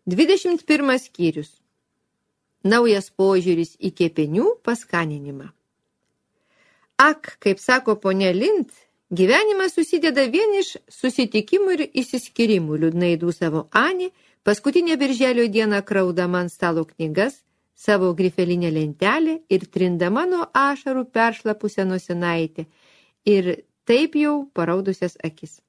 21 skyrius. Naujas požiūris į kepenių paskaninimą. Ak, kaip sako ponia Lind, gyvenimas susideda vien iš susitikimų ir išsiskyrimų, liūdnai dūsavo Ani, paskutinę birželio dieną kraudama ant stalo knygas, savo grifelinę lentelę ir trindama nuo ašarų peršlapusią nosinaitę ir taip jau paraudusias akis.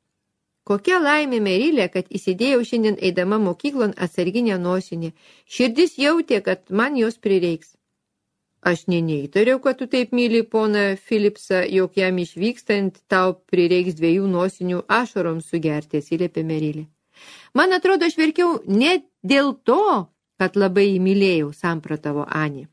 Kokia laimė Merilė, kad įsidėjau šiandien eidama mokyklon atsarginę nosinę. Širdis jautė, kad man jos prireiks. Aš neįtariau, kad tu taip myli poną Philipsą, jog jam išvykstant tau prireiks 2 nosinių ašaroms sugerti, atsiliepė Merilė. Man atrodo, aš verkiau ne dėl to, kad labai įmylėjau, samprotavo Ani.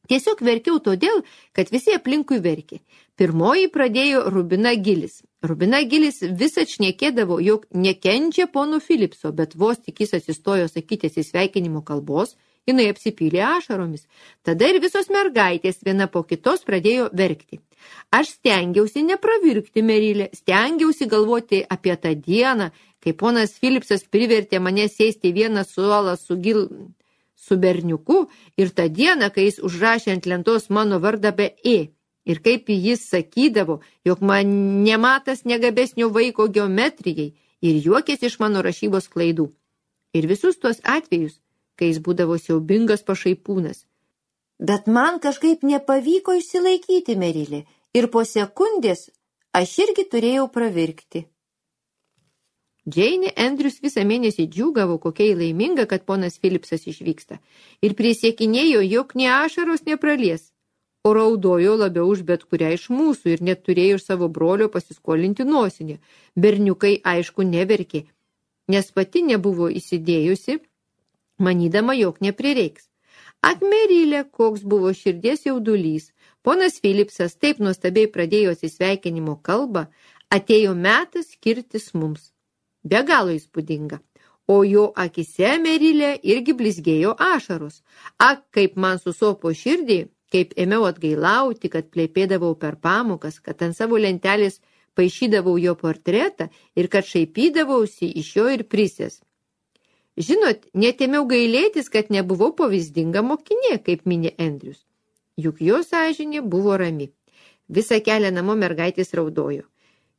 Tiesiog verkiau todėl, kad visi aplinkui verkė. Pirmoji pradėjo Rubina Gilis. Rubina Gilis vis atšnekėdavo, jog nekenčia pono Philipso, bet vos tik jis atsistojo sakytis į sveikinimo kalbos, jinai apsipylė ašaromis. Tada ir visos mergaitės viena po kitos pradėjo verkti. Aš stengiausi nepravirkti, Merilė, stengiausi galvoti apie tą dieną, kai ponas Philipsas privertė mane sėsti vieną suolą su berniuku ir tą dieną, kai jis užrašė ant lentos mano vardą be E. Ir kaip jis sakydavo, jog man nematas negabesnio vaiko geometrijai ir juokėsi iš mano rašybos klaidų. Ir visus tuos atvejus, kai jis būdavo siaubingas pašaipūnas. Bet man kažkaip nepavyko išsilaikyti, Merilė, ir po sekundės aš irgi turėjau pravirkti. Džeinė Andrius visą mėnesį džiūgavo, kokia laiminga, kad ponas Philipsas išvyksta, ir prisiekinėjo, jog nė ašaros nepralies, o raudojo labiau už bet kurią iš mūsų ir net turėjo iš savo brolio pasiskolinti nosinę. Berniukai, aišku, neverkė, nes pati nebuvo įsidėjusi, manydama, jog neprireiks. Ak, Merilė, koks buvo širdies jaudulys. Ponas Philipsas taip nuostabiai pradėjo atsisveikinimo kalbą, atėjo metas skirtis mums. Be galo įspūdinga. O jo akise, Merilė, irgi blizgėjo ašaros. Ak, kaip man susopo širdį, kaip ėmiau atgailauti, kad plepėdavau per pamokas, kad ant savo lentelės paišydavau jo portretą ir kad šaipydavausi iš jo ir prisės. Žinot, net ėmiau gailėtis, kad nebuvau pavyzdinga mokinė, kaip mini Andrius. Juk jo sąžinė buvo rami. Visą kelią namo mergaitės raudojo.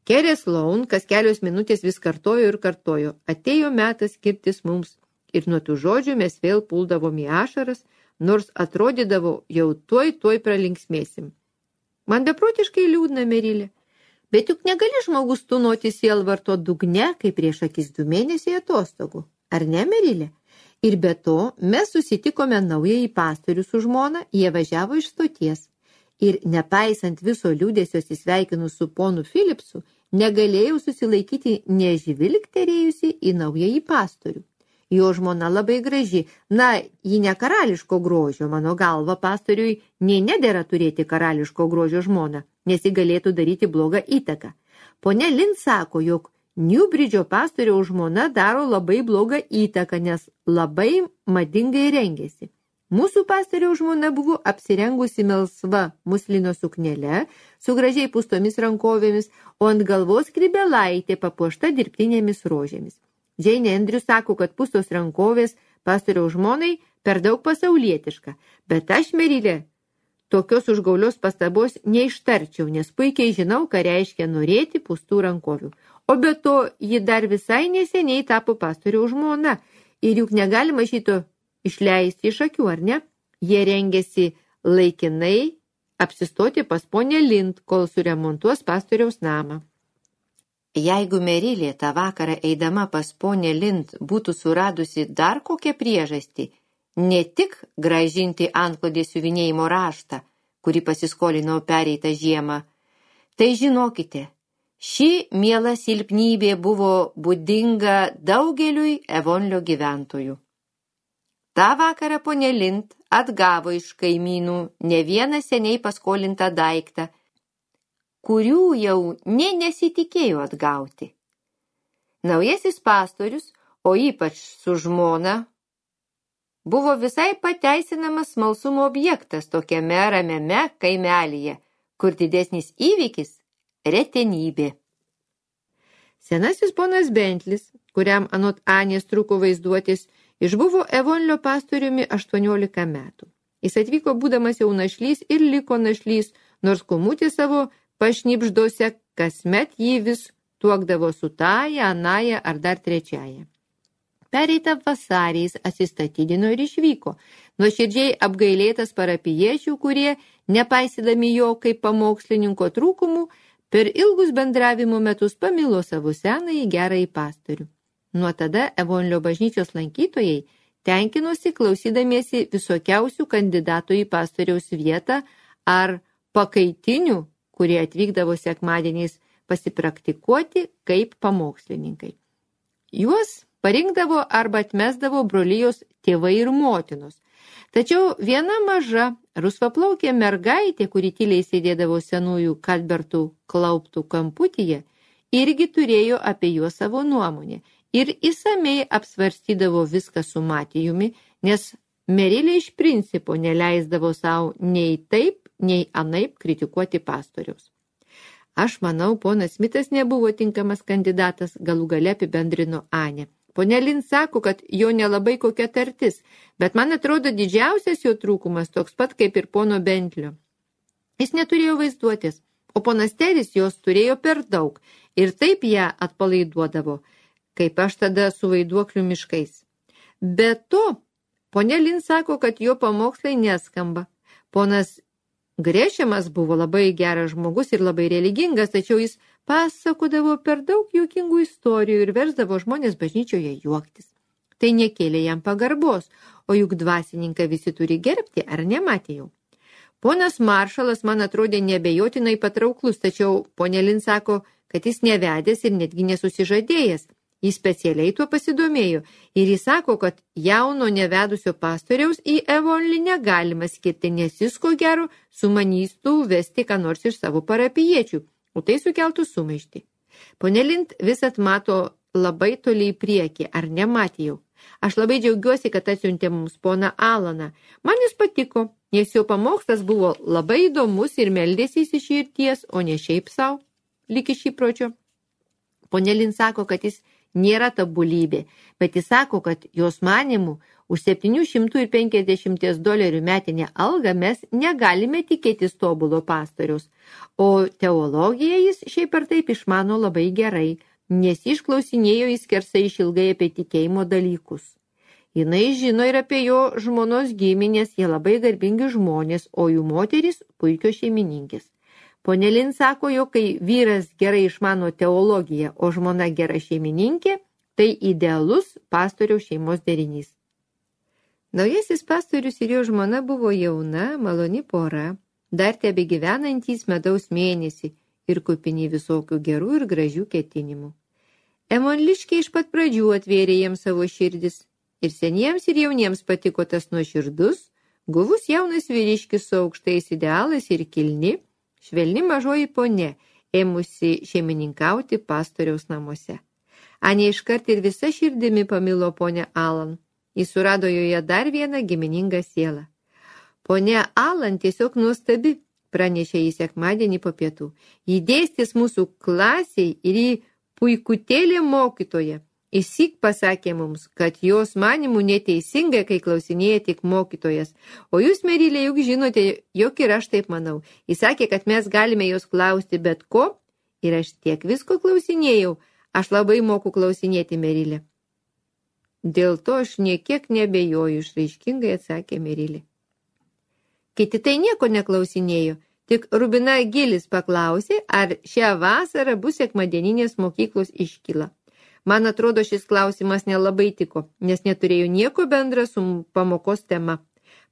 Kerė Sloan kas kelios minutės vis kartojo ir kartojo. Atėjo metas skirtis mums. Ir nuo tų žodžių mes vėl puldavom į ašaras, nors atrodydavo jau tuoj pralinksmėsim. Man beprotiškai liūdna, Merilė. Bet juk negali žmogus tūnoti sielvarto dugne, kaip prieš akis 2 mėnesiai atostogų. Ar ne, Merilė? Ir be to, mes susitikome naująjį pastorių su žmona, jie važiavo iš stoties. Ir nepaisant viso liūdėsio atsisveikinu su ponu Philipsu, negalėjau susilaikyti nežvilgterėjusi į naująjį pastorių. Jo žmona labai graži, ji ne karališko grožio, mano galva pastoriui nei nedera turėti karališko grožio žmoną, nes ji galėtų daryti blogą įtaką. Ponia Lind sako, jog Newbridge'o pastoriaus žmona daro labai blogą įtaką, nes labai madingai rengėsi. Mūsų pastoriaus žmona buvo apsirengusi melsva muslino suknele su gražiai pustomis rankovėmis, o ant galvos skrybėlaitė papuošta dirbtinėmis rožėmis. Džeinė Andrius sako, kad pustos rankovės pastoriaus žmonai per daug pasaulietiška, bet aš, Merilė, tokios užgaulios pastabos neištarčiau, nes puikiai žinau, ką reiškia norėti pustų rankovių. O be to, ji dar visai neseniai tapo pastoriaus žmona ir juk negalima šito išleisti iš akių, ar ne? Jie rengėsi laikinai apsistoti pas ponę Lind, kol suremontuos pastoriaus namą. Jeigu Merilė tą vakarą eidama pas ponę Lind būtų suradusi dar kokią priežastį, ne tik grąžinti antklodės siuvinėjimo raštą, kurį pasiskolinau pereitą žiemą, tai žinokite, ši miela silpnybė buvo būdinga daugeliui Evonlio gyventojų. Ta vakarą ponė Lind atgavo iš kaimynų ne vieną seniai paskolintą daiktą, kurių jau nesitikėjo atgauti. Naujasis pastorius, o ypač su žmona, buvo visai pateisinamas smalsumo objektas tokiame ramiame kaimelyje, kur didesnis įvykis – retenybė. Senasis ponas Bentlis, kuriam anot Anės trūko vaizduotis, išbuvo Evonlio pastoriumi 18 metų. Jis atvyko būdamas jau našlys ir liko našlys, nors kumutį savo pašnipždose kasmet jį vis tuokdavo su taja, anaja ar dar trečiaja. Pereitą vasarį jis atsistatydino ir išvyko, nuoširdžiai apgailėtas parapijiečių, kurie, nepaisydami jo kaip pamokslininko trūkumų, per ilgus bendravimo metus pamilo savo senąjį gerąjį pastorių. Nuo tada Evonlio bažnyčios lankytojai tenkinosi klausydamiesi visokiausių kandidatų į pastoriaus vietą ar pakaitinių, kurie atvykdavo sekmadieniais pasipraktikuoti kaip pamokslininkai. Juos parinkdavo arba atmesdavo brolijos tėvai ir motinos. Tačiau viena maža, rusvaplaukė mergaitė, kuri tyliai sėdėdavo senųjų Kalbertų klauptų kamputyje, irgi turėjo apie juos savo nuomonę ir įsamei apsvarstydavo viską su Matijumi, nes Merilė iš principo neleisdavo savo nei taip, nei anaip kritikuoti pastoriaus. Aš manau, ponas Smitas nebuvo tinkamas kandidatas, galų gale apibendrino Anė. Ponia Lin sako, kad jo nelabai kokia tartis, bet man atrodo didžiausias jo trūkumas toks pat kaip ir pono Bentlio. Jis neturėjo vaizduotės, o ponas Teris jos turėjo per daug ir taip ją atpalaiduodavo, kaip aš tada su vaiduoklių miškais. Be to, ponia Lin sako, kad jo pamokslai neskamba. Ponas Grešemas buvo labai geras žmogus ir labai religingas, tačiau jis pasakodavo per daug juokingų istorijų ir versdavo žmonės bažnyčioje juoktis. Tai nekėlė jam pagarbos, o juk dvasininką visi turi gerbti, ar nematėjau. Ponas Maršalas man atrodė nebejotinai patrauklus, tačiau ponė Lin sako, kad jis nevedęs ir netgi nesusižadėjęs. Jis specialiai tuo pasidomėjo ir jis sako, kad jauno nevedusio pastoriaus į Evonlį negalima skirti, nes jis ko gero sumanystų vesti ką nors iš savo parapijiečių, o tai sukeltų sumaištį. Pone Lind visat mato labai toli į priekį, ar nematėjau. Aš labai džiaugiuosi, kad atsiuntė mums poną Alaną. Man jis patiko, nes jo pamokslas buvo labai įdomus ir meldėsi iš širdies, o ne šiaip savo, lyg iš įpročio. Pone Lind sako, kad jis nėra tobulybė, bet jis sako, kad jos manimų už $750 metinę algą mes negalime tikėtis tobulo pastoriaus, o teologiją jis šiaip ar taip išmano labai gerai, nes išklausinėjo jis skersai išilgai apie tikėjimo dalykus. Jinai žino ir apie jo žmonos giminės, jie labai garbingi žmonės, o jų moterys puikios šeimininkės. Pone Lin sako, jo, kai vyras gerai išmano teologiją, o žmona gera šeimininkė, tai idealus pastoriaus šeimos derinys. Naujasis pastorius ir jo žmona buvo jauna, maloni pora, dar tebegyvenantys medaus mėnesį ir kupini visokių gerų ir gražių ketinimų. Emonliškiai iš pat pradžių atvėrė jiems savo širdis ir seniems ir jauniems patiko tas nuoširdus, guvus jaunas vyriškis su aukštais idealais ir kilni, švelni mažoji ponė, ėmusi šeimininkauti pastoriaus namuose. Anė iškart ir visa širdimi pamilo ponę Alan. Jis surado joje dar vieną giminingą sielą. Ponė Alan tiesiog nuostabi, pranešė jį sekmadienį po pietų. Ji dėstys mūsų klasiai ir į puikutėlė mokytoja. Įsyk pasakė mums, kad jos manimų neteisingai, kai klausinėja tik mokytojas. O jūs, Merilė, juk žinote, jog ir aš taip manau. Jis sakė, kad mes galime jos klausti bet ko, ir aš tiek visko klausinėjau. Aš labai moku klausinėti, Merilė. Dėl to aš niekiek nebejoju, išraiškingai atsakė Merilė. Kiti tai nieko neklausinėjo, tik Rubina Gilis paklausė, ar šią vasarą bus sekmadieninės mokyklos iškyla. Man atrodo, šis klausimas nelabai tiko, nes neturėjo nieko bendra su pamokos tema.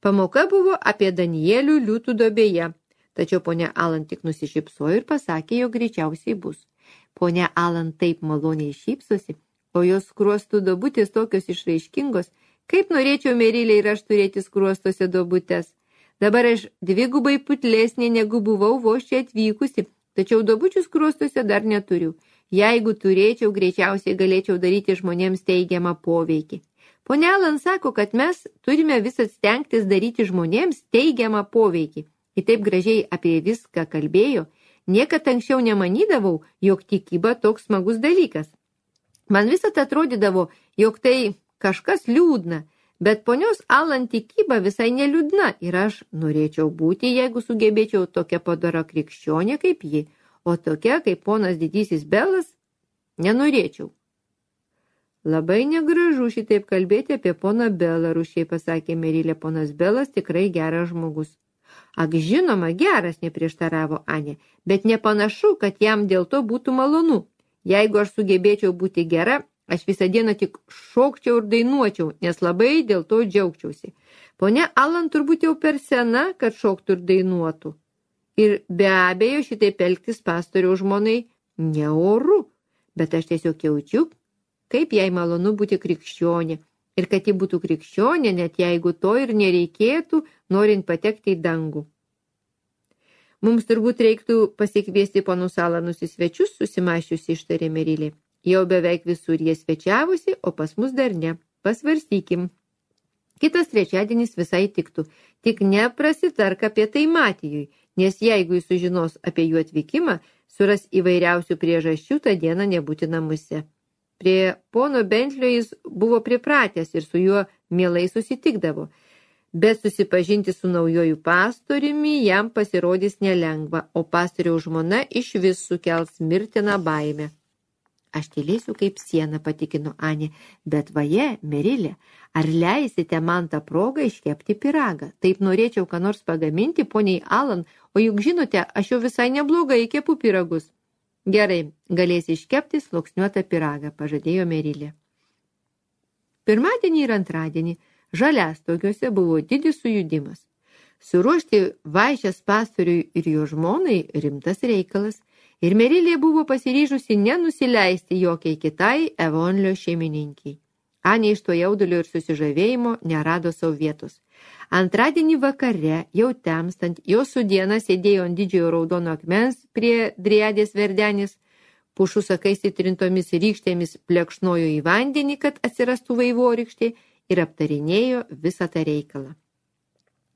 Pamoka buvo apie Danielių liūtų duobėje, tačiau ponia Alan tik nusišypsojo ir pasakė, jog greičiausiai bus. Ponia Alan taip maloniai šypsosi, o jos skruostų duobutės tokios išraiškingos, kaip norėčiau, Merilė, ir aš turėti skruostose duobutes. Dabar aš dvigubai putlesnė, negu buvau vos čia atvykusi, tačiau duobučių skruostose dar neturiu. Jeigu turėčiau, greičiausiai galėčiau daryti žmonėms teigiamą poveikį. Ponia Alan sako, kad mes turime visat stengtis daryti žmonėms teigiamą poveikį. Ji taip gražiai apie viską kalbėjo, Niekad anksčiau nemanydavau, jog tikyba toks smagus dalykas. Man visat atrodydavo, jog tai kažkas liūdna, bet ponios Alan tikyba visai neliūdna ir aš norėčiau būti, jeigu sugebėčiau tokia padora krikščionė kaip ji, o tokia kaip ponas didysis Belas nenorėčiau. Labai negražu šitaip kalbėti apie poną Belą, rūsčiai pasakė Merilė, ponas Belas tikrai geras žmogus. Ak, žinoma, geras, neprieštaravo Anė, bet nepanašu, kad jam dėl to būtų malonu. Jeigu aš sugebėčiau būti gera, aš visą dieną tik šokčiau ir dainuočiau, nes labai dėl to džiaugčiausi. Ponia Alan turbūt jau per sena, kad šoktų ir dainuotų. Ir be abejo šitaip elgtis pastoriaus žmonai neoru, bet aš tiesiog jaučiu, kaip jai malonu būti krikščionė ir kad ji būtų krikščionė, net jeigu to ir nereikėtų, norint patekti į dangų. Mums turbūt reiktų pasikviesti ponus Alanus į svečius, susimašiusi ištarė Merilė. Jau beveik visur jie svečiavosi, o pas mus dar ne. Pasvarstykim. Kitas trečiadienis visai tiktų, tik neprasitark apie tai Matijui, nes jeigu jis sužinos apie jų atvykimą, suras įvairiausių priežasčių tą dieną nebūti namuose. Prie pono Bentlio jis buvo pripratęs ir su juo mielai susitikdavo, bet susipažinti su naujoju pastoriumi jam pasirodys nelengva, o pastoriaus žmona iš vis sukels mirtiną baimę. Aš tylėsiu kaip siena, patikino Anė, bet vaje, Merilė, ar leisite man tą progą iškepti pyragą? Taip norėčiau ką nors pagaminti, poniai Alan, o juk žinote, aš jau visai neblogai kepu pyragus. Gerai, galėsi iškepti sluoksniuotą pyragą, pažadėjo Merilė. Pirmadienį ir antradienį Žaliastogiuose buvo didis sujudimas. Suruošti vaišes pastoriui ir jo žmonai rimtas reikalas, ir Merilė buvo pasiryžusi nenusileisti jokiai kitai Evonlio šeimininkiai. Anė iš to jaudulio ir susižavėjimo nerado savo vietos. Antradienį vakare, jau temstant, jos su diena sėdėjo ant didžiojo raudono akmens prie driadės verdenės, pušų sakais įtrintomis rykštėmis plekšnojo į vandenį, kad atsirastų vaivorykštė, ir aptarinėjo visą tą reikalą.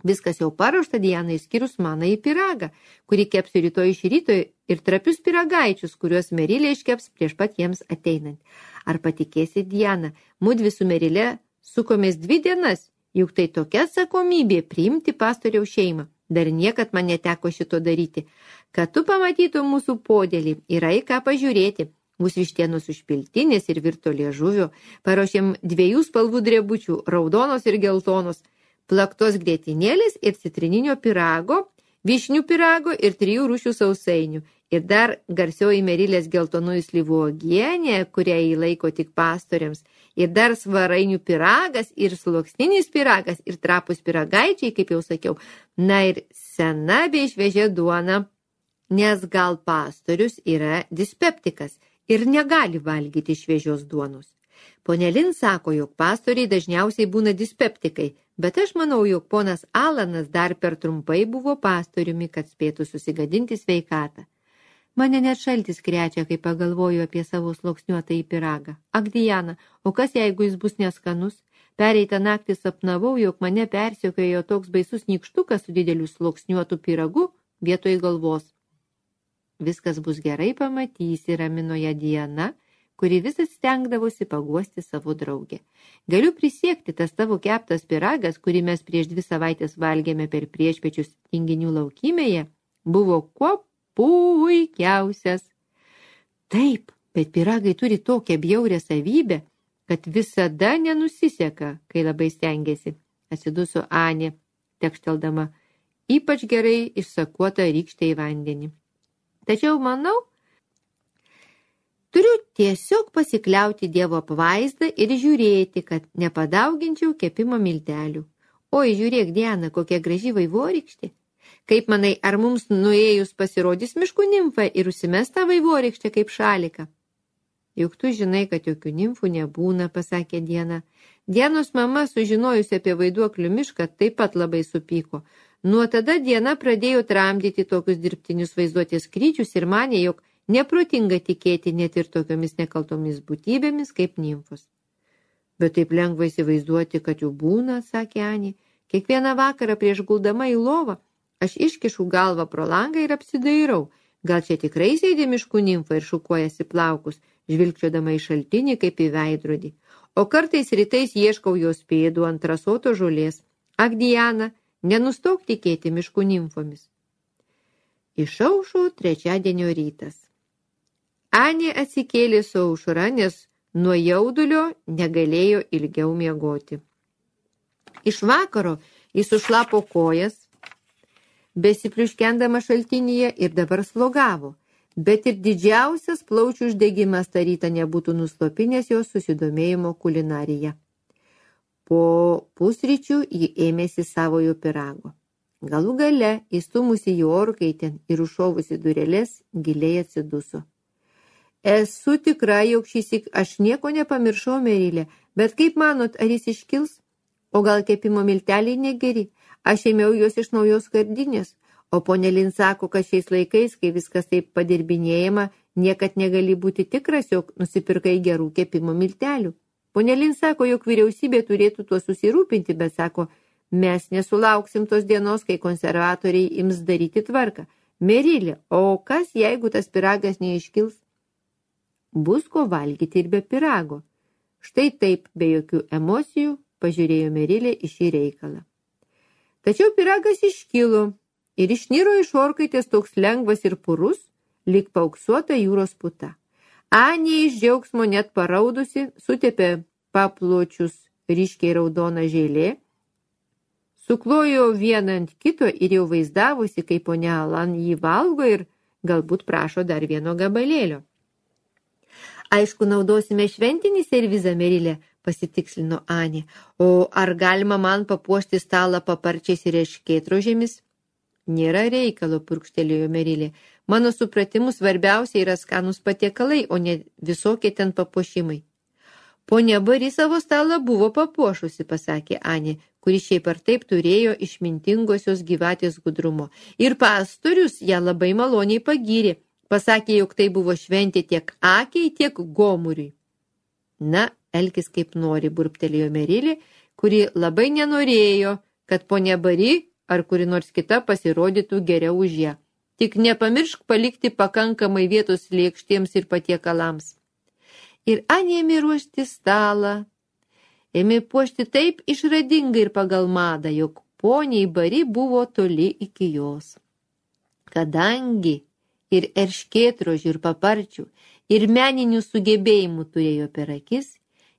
Viskas jau paruošta Dianai išskyrus manąjį pyragą, kurį kepsiu rytoj iš ryto, ir trapius pyragaičius, kuriuos Merilė iškeps prieš pat jiems ateinant. Ar patikėsi, Diana, mudvi su Merilė sukomės 2 dienas, juk tai tokia atsakomybė priimti pastoriaus šeimą. Dar niekad man neteko šito daryti. Kad tu pamatytum mūsų podėlį, yra į ką pažiūrėti. Bus vištienos užpiltinės ir virto liežuvio. Paruošėm 2 spalvų drebučių, raudonos ir geltonos, plaktos grietinėlės ir citrininio pyrago, vyšnių pyrago ir 3 rūšių sausainių. Ir dar garsioji Merilės geltonųjų slyvų uogienė, kurią jį laiko tik pastoriams. Ir dar svarainių pyragas, ir sluoksninis pyragas, ir trapus pyragaičiai, kaip jau sakiau. Na ir sena bei šviežia duona, nes gal pastorius yra dispeptikas ir negali valgyti šviežios duonos. Ponelin sako, jog pastoriai dažniausiai būna dispeptikai, bet aš manau, jog ponas Alanas dar per trumpai buvo pastoriumi, kad spėtų susigadinti sveikatą. Mane net šaltis krečia, kai pagalvoju apie savo sluoksniuotą į pyragą. Ak, Diana, o kas jeigu jis bus neskanus? Pereitą naktį sapnavau, jog mane persekiojo toks baisus nykštukas su dideliu sluoksniuotu pyragu vietoj galvos. Viskas bus gerai, pamatysi, ramino ją Diana, kuri visas stengdavosi paguosti savo draugę. Galiu prisiekti, tas tavo keptas pyragas, kurį mes prieš 2 savaitės valgėme per priešpiečius Tinginių laukymėje, buvo kuo puikiausias. Taip, bet pyragai turi tokią bjaurią savybę, kad visada nenusiseka, kai labai stengiasi, atsiduso Anė, tekšteldama ypač gerai išsakuotą rykštę į vandenį. Tačiau, manau, turiu tiesiog pasikliauti Dievo apvaizdą ir žiūrėti, kad nepadauginčiau kepimo miltelių. Oi, žiūrėk, Diana, kokia graži vaivorykštė. Kaip manai, ar mums nuėjus pasirodys miškų nimfa ir užsimes tą vaivorykštę kaip šaliką? Juk tu žinai, kad jokių nimfų nebūna, pasakė Diana. Dianos mama, sužinojusi apie vaiduoklių mišką, taip pat labai supyko. Nuo tada Diana pradėjo tramdyti tokius dirbtinius vaizduotės skrydžius ir manė, jog neprotinga tikėti net ir tokiomis nekaltomis būtybėmis kaip nimfos. Bet taip lengva įsivaizduoti, kad jų būna, sakė Anė. Kiekvieną vakarą prieš guldama į lovą aš iškišu galvą pro langą ir apsidairau. Gal čia tikrai sėdi miškų nimfa ir šukuojasi plaukus, žvilgčiodama į šaltinį kaip į veidrodį. O kartais rytais ieškau jos pėdų ant rasoto žolės. Ak, Diana, nenustok tikėti miškų nimfomis. Išaušo trečiadienio rytas. Anė atsikėlė su aušra, nes nuo jaudulio negalėjo ilgiau miegoti. Iš vakaro jis sušlapo kojas, besipliuškendama šaltinyje ir dabar slogavo, bet ir didžiausias plaučių uždegimas tą rytą nebūtų nuslopinęs jos susidomėjimo kulinarija. Po pusryčių ji ėmėsi savojo pyrago. Galų gale, įstumusi į orkaitę ir užšovusi dureles, giliai atsiduso. Esu tikra, jog šįsyk aš nieko nepamiršau, Merilė, bet kaip manot, ar jis iškils? O gal kepimo milteliai negeri? Aš ėmiau juos iš naujos skardinės, o ponė Lin sako, kad šiais laikais, kai viskas taip padirbinėjama, niekad negali būti tikras, jog nusipirkai gerų kepimo miltelių. Ponė Lin sako, jog vyriausybė turėtų tuo susirūpinti, bet sako, mes nesulauksim tos dienos, kai konservatoriai ims daryti tvarką. Merilė, o kas, jeigu tas pyragas neiškils? Bus ko valgyti ir be pyrago. Štai taip, be jokių emocijų, pažiūrėjo Merilė į šį reikalą. Tačiau pyragas iškilo ir išniro iš orkaitės toks lengvas ir purus, lyg paauksuota jūros puta. Anė iš džiaugsmo net paraudusi, sutepė papločius ryškiai raudoną žėlė, suklojo vieną ant kito ir jau vaizdavusi, kaip ponia Alan jį valgo ir galbūt prašo dar vieno gabalėlio. Aišku, naudosime šventinį servizą, Merilė, pasitikslino Anė. O ar galima man papuošti stalą paparčiais ir erškėtrožėmis? Nėra reikalo, purkštelėjo Merilė. Mano supratimu svarbiausia yra skanūs patiekalai, o ne visokie ten papuošimai. Ponia Bari savo stalą buvo papuošusi, pasakė Anė, kuri šiaip ar taip turėjo išmintingosios gyvatės gudrumo. Ir pastorius ją labai maloniai pagyrė. Pasakė, jog tai buvo šventė tiek akiai, tiek gomuriui. Na, elkis kaip nori, burbtelėjo Merilė, kuri labai nenorėjo, kad ponia Bari ar kuri nors kita pasirodytų geriau už ją. Tik nepamiršk palikti pakankamai vietos lėkštiems ir patiekalams. Ir Anė ėmė ruošti stalą. Ėmė puošti taip išradingai ir pagal madą, jog poniai Bari buvo toli iki jos. Kadangi ir erškėtrožių ir paparčių, ir meninių sugebėjimų turėjo per akis,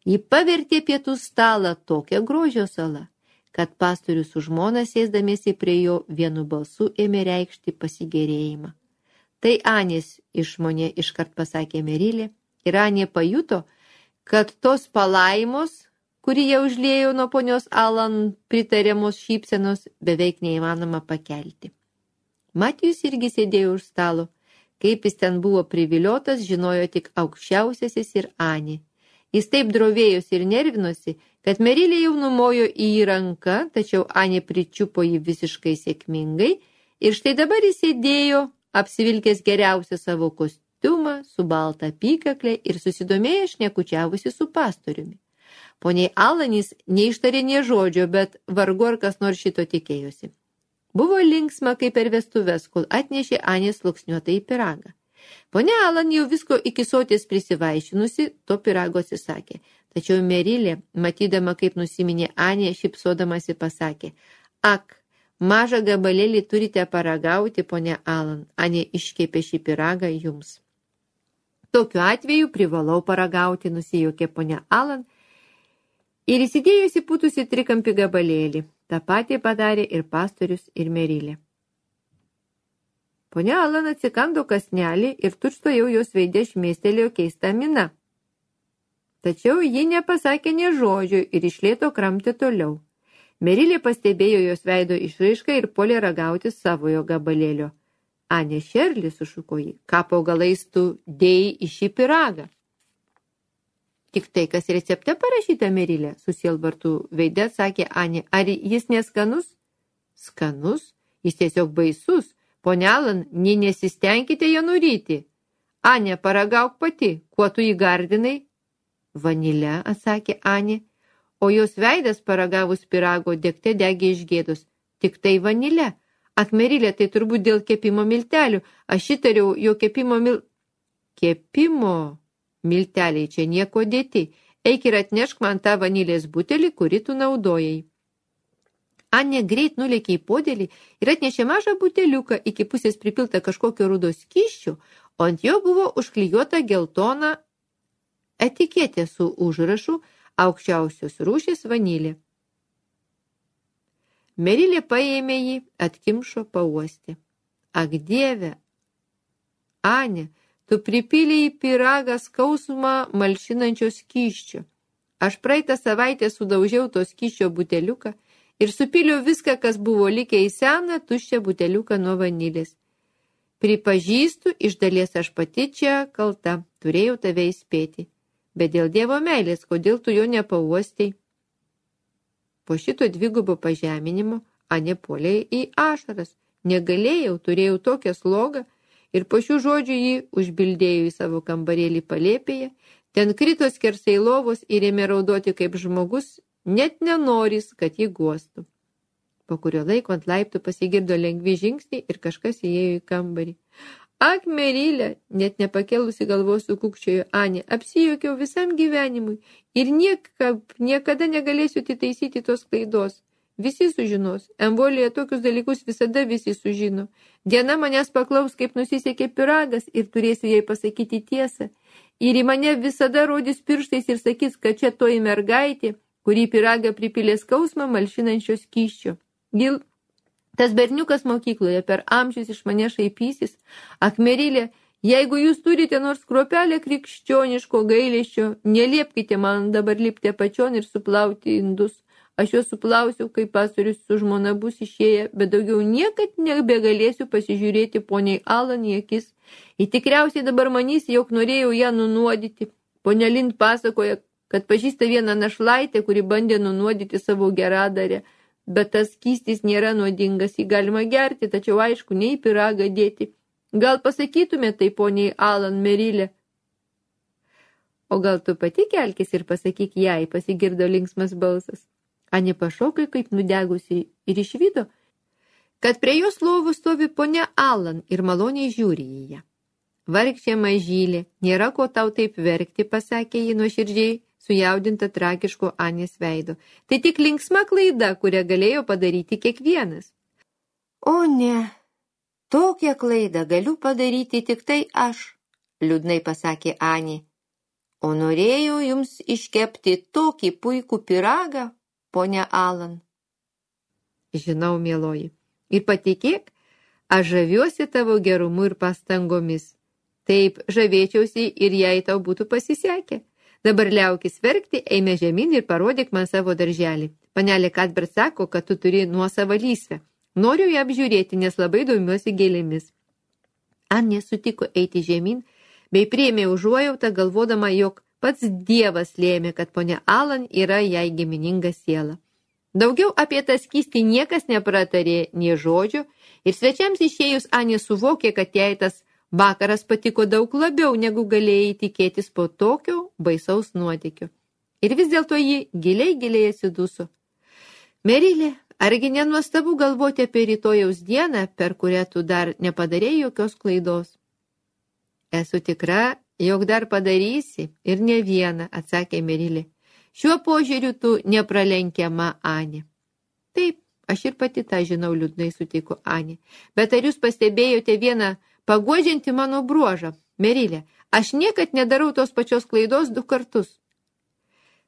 ji pavertė pietų stalą tokią grožio salą, kad pastorius su žmona sėsdamiesi prie jo vienu balsu ėmė reikšti pasigėrėjimą. Tai Anės išmonė, iškart pasakė Merilė, ir Anė pajuto, kad tos palaimos, kurį jie užliejo nuo ponios Alan pritariamos šypsenos, beveik neįmanoma pakelti. Matijus irgi sėdėjo už stalo. Kaip jis ten buvo priviliotas, žinojo tik aukščiausiasis ir Anė. Jis taip drovėjosi ir nervinosi, kad Merilė jau numojo į jį ranką, tačiau Anė pričiupo jį visiškai sėkmingai ir štai dabar jis sėdėjo, apsivilkęs geriausią savo kostiumą, su balta apykaklė ir susidomėjęs šnekučiavusi su pastoriumi. Poniai Alanis neištarė nė žodžio, bet vargu ar kas nors šito tikėjosi. Buvo linksma kaip per vestuves, kol atnešė Anė sluoksniuotą į pyragą. Ponia Alan jau visko iki soties prisivaišinusi, to pyrago atsisakė. Tačiau Merilė, matydama kaip nusiminė Anė, šypsodamasi pasakė, ak, mažą gabalėlį turite paragauti, ponia Alan, Anė iškepė šį pyragą jums. Tokiu atveju privalau paragauti, nusijuokė ponia Alan ir įsidėjusi putusi trikampį gabalėlį. Ta patį padarė ir pastorius, ir Merilė. Ponia Alan atsikando kąsnelį ir tučtuojau jos veide šmėstelėjo keista mina. Tačiau ji nepasakė nė žodžio ir iš lėto kramtė toliau. Merilė pastebėjo jos veido išraišką ir puolė ragauti savojo gabalėlio. Anė Šerli, sušuko ji, ką po galais tu dėjai į šį pyragą? Tik tai, kas recepte parašyta, Merilė, susielvartų veide, sakė Anė. Ar jis neskanus? Skanus? Jis tiesiog baisus. Ponia Alan, nesistengkite jo nuryti. Anė, paragauk pati. Kuo tu jį gardinai? Vanile, atsakė Anė. O jos veidas paragavus pyrago degte degė iš gėdos. Tik tai vanile. Akmerilė, tai turbūt dėl kepimo miltelių. Aš įtariau, jo kepimo milteliai čia nieko dėti. Eik ir atnešk man tą vanilės butelį, kurį tu naudojai. Anė greit nulėkė į podėlį ir atnešė mažą buteliuką, iki pusės pripiltą kažkokio rudo skysčio, o ant jo buvo užklijuota geltona etiketė su užrašu aukščiausios rūšies vanilė. Merilė paėmė jį, atkimšo, pauostė. Ak, Dieve, Anė, tu pripylei į pyragą skausmą malšinančio skysčio. Aš praeitą savaitę sudaužiau to skysčio buteliuką ir supyliau viską, kas buvo likę į seną tuščią buteliuką nuo vanilės. Pripažįstu, iš dalies aš pati čia kalta, turėjau tave įspėti. Bet dėl Dievo meilės, kodėl tu jo nepauostei? Po šito dvigubo pažeminimo Anė puolė į ašaras. Negalėjau, turėjau tokią slogą ir po šių žodžių jį užbildėjo į savo kambarėlį palėpėje. Ten krito skersai lovos ir ėmė raudoti kaip žmogus, net nenoris, kad jį guostų. Po kurio laiko ant laiptų pasigirdo lengvi žingsniai ir kažkas įėjo į kambarį. Ak, Merilė, net nepakelusi galvos sukūkčiojo Anė, apsijuokiau visam gyvenimui ir niekada negalėsiu atitaisyti tos klaidos. Visi sužinos, Emvolėje tokius dalykus visada visi sužino. Diena manęs paklaus, kaip nusisekė pyragas ir turėsiu jai pasakyti tiesą. Ir į mane visada rodys pirštais ir sakys, kad čia toji mergaitė, kurį pyragą pripylė skausmą malšinančio skysčio. Gil, tas berniukas mokykloje per amžius iš mane šaipysis. Ak, Merilė, jeigu jūs turite nors kruopelę krikščioniško gailesčio, neliepkite man dabar lipti apačion ir suplauti indus. Aš juos suplausiu, kai pastorius su žmona bus išėję, bet daugiau niekad nebegalėsiu pasižiūrėti poniai Alan į akis. Ji tikriausiai dabar manys, jog norėjau ją nunuodyti. Ponia Lind pasakoja, kad pažįsta vieną našlaitę, kuri bandė nunuodyti savo geradarę. Bet tas skystis nėra nuodingas, jį galima gerti, tačiau aišku, ne į pyragą dėti. Gal pasakytume tai poniai Alan, Merilė? O gal tu pati kelkis ir pasakyk jai, pasigirdo linksmas balsas. Anė pašokai kaip nudegusi ir išvydo, kad prie jos lovų stovi ponia Alan ir maloniai žiūri į ją. Vargšė mažylė, nėra ko tau taip verkti, pasakė ji nuoširdžiai, sujaudinta tragiško Anės veido. Tai tik linksma klaida, kurią galėjo padaryti kiekvienas. O ne, tokią klaidą galiu padaryti tik tai aš, liūdnai pasakė Anė. O norėjau jums iškepti tokį puikų pyragą, ponia Alan. Žinau, mieloji, ir patikėk, aš žaviuosi tavo gerumu ir pastangomis. Taip, žavėčiausi ir jei tau būtų pasisekę. Dabar liaukis verkti, eime žemyn ir parodyk man savo darželį. Panelė Kadbert sako, kad tu turi nuosavą lysvę. Noriu ją apžiūrėti, nes labai domiuosi gėlėmis. Anė sutiko eiti žemyn, bei priėmė užuojautą, galvodama, jog pats Dievas lėmė, kad ponia Alan yra jai gimininga siela. Daugiau apie tą skystį niekas nepratarė nė žodžio ir svečiams išėjus Anė suvokė, kad jai tas vakaras patiko daug labiau, negu galėjai tikėtis po tokio baisaus nuotykio. Ir vis dėlto ji giliai atsiduso. Merilė, argi nenuostabu galvoti apie rytojaus dieną, per kurią tu dar nepadarėjai jokios klaidos? Esu tikra, jog dar padarysi ir ne vieną, atsakė Merilė. Šiuo požiūriu tu nepralenkiama, Anė. Taip, aš ir pati tą žinau, liūdnai sutiko Anė. Bet ar jūs pastebėjote vieną paguodžiantį mano bruožą? Merilė, aš niekad nedarau tos pačios klaidos 2 kartus.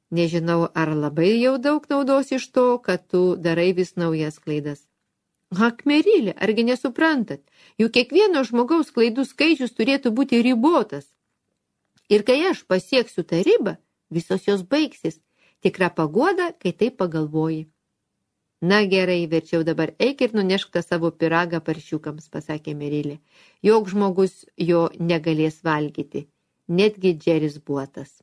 Nežinau, ar labai jau daug naudos iš to, kad tu darai vis naujas klaidas. Ak, Merilė, argi nesuprantat? Juk kiekvieno žmogaus klaidų skaičius turėtų būti ribotas. Ir kai aš pasieksiu tą ribą, visos jos baigsis. Tikra paguoda, kai taip pagalvoji. Na gerai, verčiau dabar eik ir nunešk tą savo pyragą paršiukams, pasakė Merilė. Joks žmogus jo negalės valgyti, netgi Džeris Buotas.